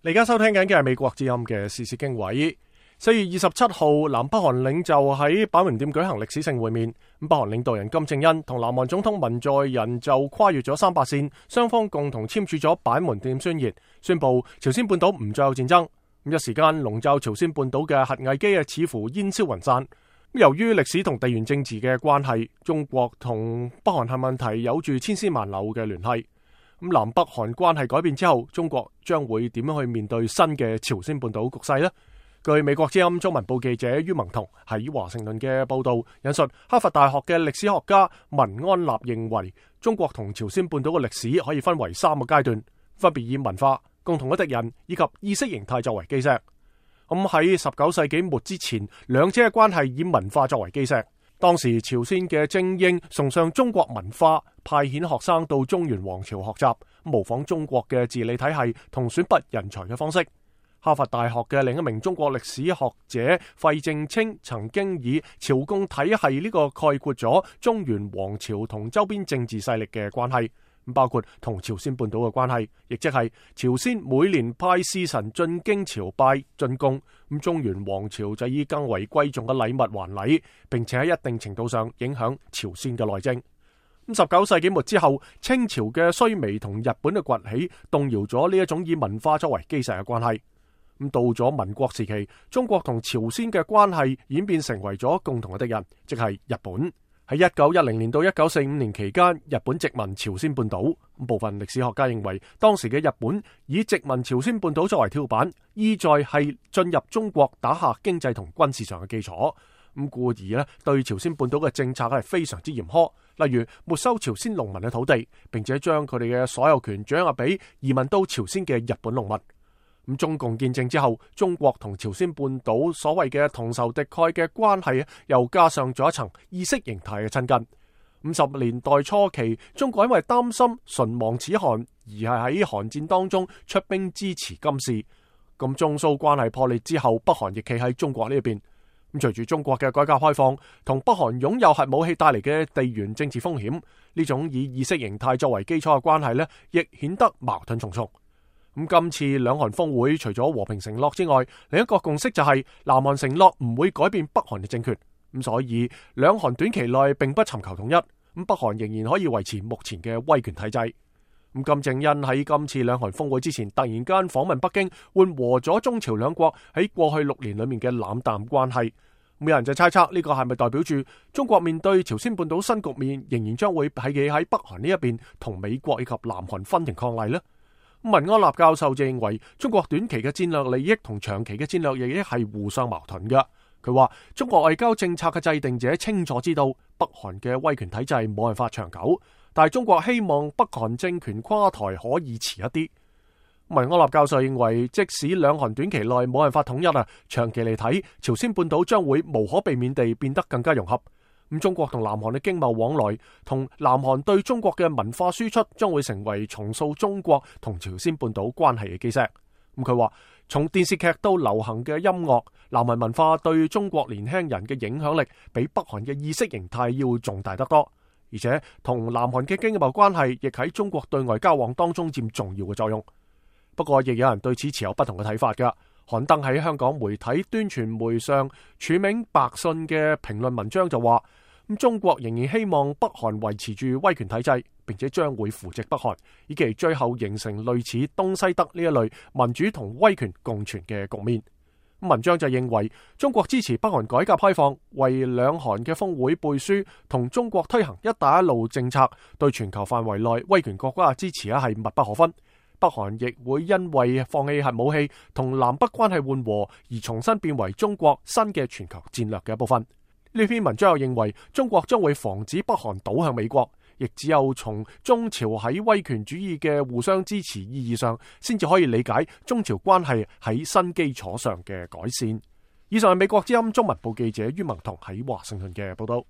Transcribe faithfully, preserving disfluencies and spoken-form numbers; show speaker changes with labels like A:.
A: 你而家收聽緊嘅係美國之音嘅時事經緯。四月二十七號，南北韓領袖喺板門店舉行歷史性會面。咁北韓領導人金正恩同南韓總統文在寅就跨越咗三八線，雙方共同簽署咗板門店宣言，宣布朝鮮半島唔再有戰爭。咁一時間籠罩朝鮮半島嘅核危機啊，似乎煙消雲散。由於歷史同地緣政治嘅關係，中國同北韓核問題有住千絲萬縷嘅聯繫。咁南北韓關係改變之後，中國將會點樣去面對新嘅朝鮮半島局勢呢？據美國之音中文部記者于文彤喺華盛頓嘅報道，引述哈佛大學嘅歷史學家文安納認為，中國同朝鮮半島嘅歷史可以分為三個階段，分別以文化、共同嘅敵人以及意識形態作為基石。咁喺十九世紀末之前，兩者嘅關係以文化作為基石。當時朝鮮嘅精英崇尚中國文化，派遣學生到中原王朝學習，模仿中國嘅治理體系同選拔人才嘅方式。哈佛大學嘅另一名中國歷史學者費正清曾經以朝貢體系呢個概括咗中原王朝同周邊政治勢力嘅關係，包括同朝鮮半島嘅關係，亦即係朝鮮每年派使臣進京朝拜進貢，咁中原王朝就以更為貴重嘅禮物還禮，並且喺一定程度上影響朝鮮嘅內政。咁十九世紀末之後，清朝嘅衰微同日本嘅崛起，動搖咗呢一種以文化作為基石嘅關係。咁到咗民國時期，中國同朝鮮嘅關係演變成為咗共同嘅敵人，即係日本。喺一九一零年到一九四五年期間，日本殖民朝鮮半島。部分歷史學家認為，當時嘅日本以殖民朝鮮半島作為跳板，意在係進入中國打下經濟同軍事上嘅基礎。咁故而呢，對朝鮮半島嘅政策係非常之嚴苛，例如沒收朝鮮農民嘅土地，並且將佢哋嘅所有權掌握俾移民到朝鮮嘅日本農民。咁中共建政之後，中國同朝鮮半島所謂嘅同仇敵愾嘅關係，又加上咗一層意識形態嘅親近。五十年代初期，中國因為擔心唇亡齒寒，而係喺韓戰當中出兵支持金氏。咁中蘇關係破裂之後，北韓亦企喺中國呢一邊。咁隨住中國嘅改革開放，同北韓擁有核武器帶嚟嘅地緣政治風險，呢種以意識形態作為基礎嘅關係呢，亦顯得矛盾重重。咁今次兩韓峰會除咗和平承諾之外，另一個共識就係南韓承諾唔會改變北韓嘅政權。咁所以兩韓短期內並不尋求統一，咁北韓仍然可以維持目前嘅威權體制。咁金正恩喺今次兩韓峰會之前突然間訪問北京，緩和咗中朝兩國喺過去六年裏面嘅冷淡關係。有人就猜測呢個係咪代表住中國面對朝鮮半島新局面，仍然將會係企喺北韓呢一邊，同美國以及南韓分庭抗禮呢？文安納教授就認為，中國短期嘅戰略利益同長期嘅戰略利益係互相矛盾嘅。佢話中國外交政策嘅制定者清楚知道北韓嘅威權體制冇辦法長久，但係中國希望北韓政權垮台可以遲一啲。文安納教授認為，即使兩韓短期內冇辦法統一啊，長期嚟睇，朝鮮半島將會無可避免地變得更加融合。咁中國同南韓嘅經貿往來，同南韓對中國嘅文化輸出，將會成為重塑中國同朝鮮半島關係嘅基石。咁佢話，從電視劇到流行嘅音樂，南韓文化對中國年輕人嘅影響力，比北韓嘅意識形態要重大得多。而且同南韓嘅經貿關係，亦喺中國對外交往當中佔重要嘅作用。不過，亦有人對此持有不同嘅睇法㗎。刊登喺香港媒體端傳媒上署名白信嘅評論文章就話，咁中國仍然希望北韓維持住威權體制，並且將會扶植北韓，以期最後形成類似東西德呢一類民主同威權共存嘅局面。文章就認為，中國支持北韓改革開放，為兩韓嘅峰會背書，同中國推行一帶一路政策，對全球範圍內威權國家嘅支持係密不可分。北韓亦會因為放棄核武器同南北關係緩和而重新變為中國新嘅全球戰略嘅一部分。呢篇文章又認為，中國將會防止北韓倒向美國，亦只有從中朝喺威權主義嘅互相支持意義上，先至可以理解中朝關係喺新基礎上嘅改善。以上係美國之音中文部記者于文彤喺華盛頓嘅報道。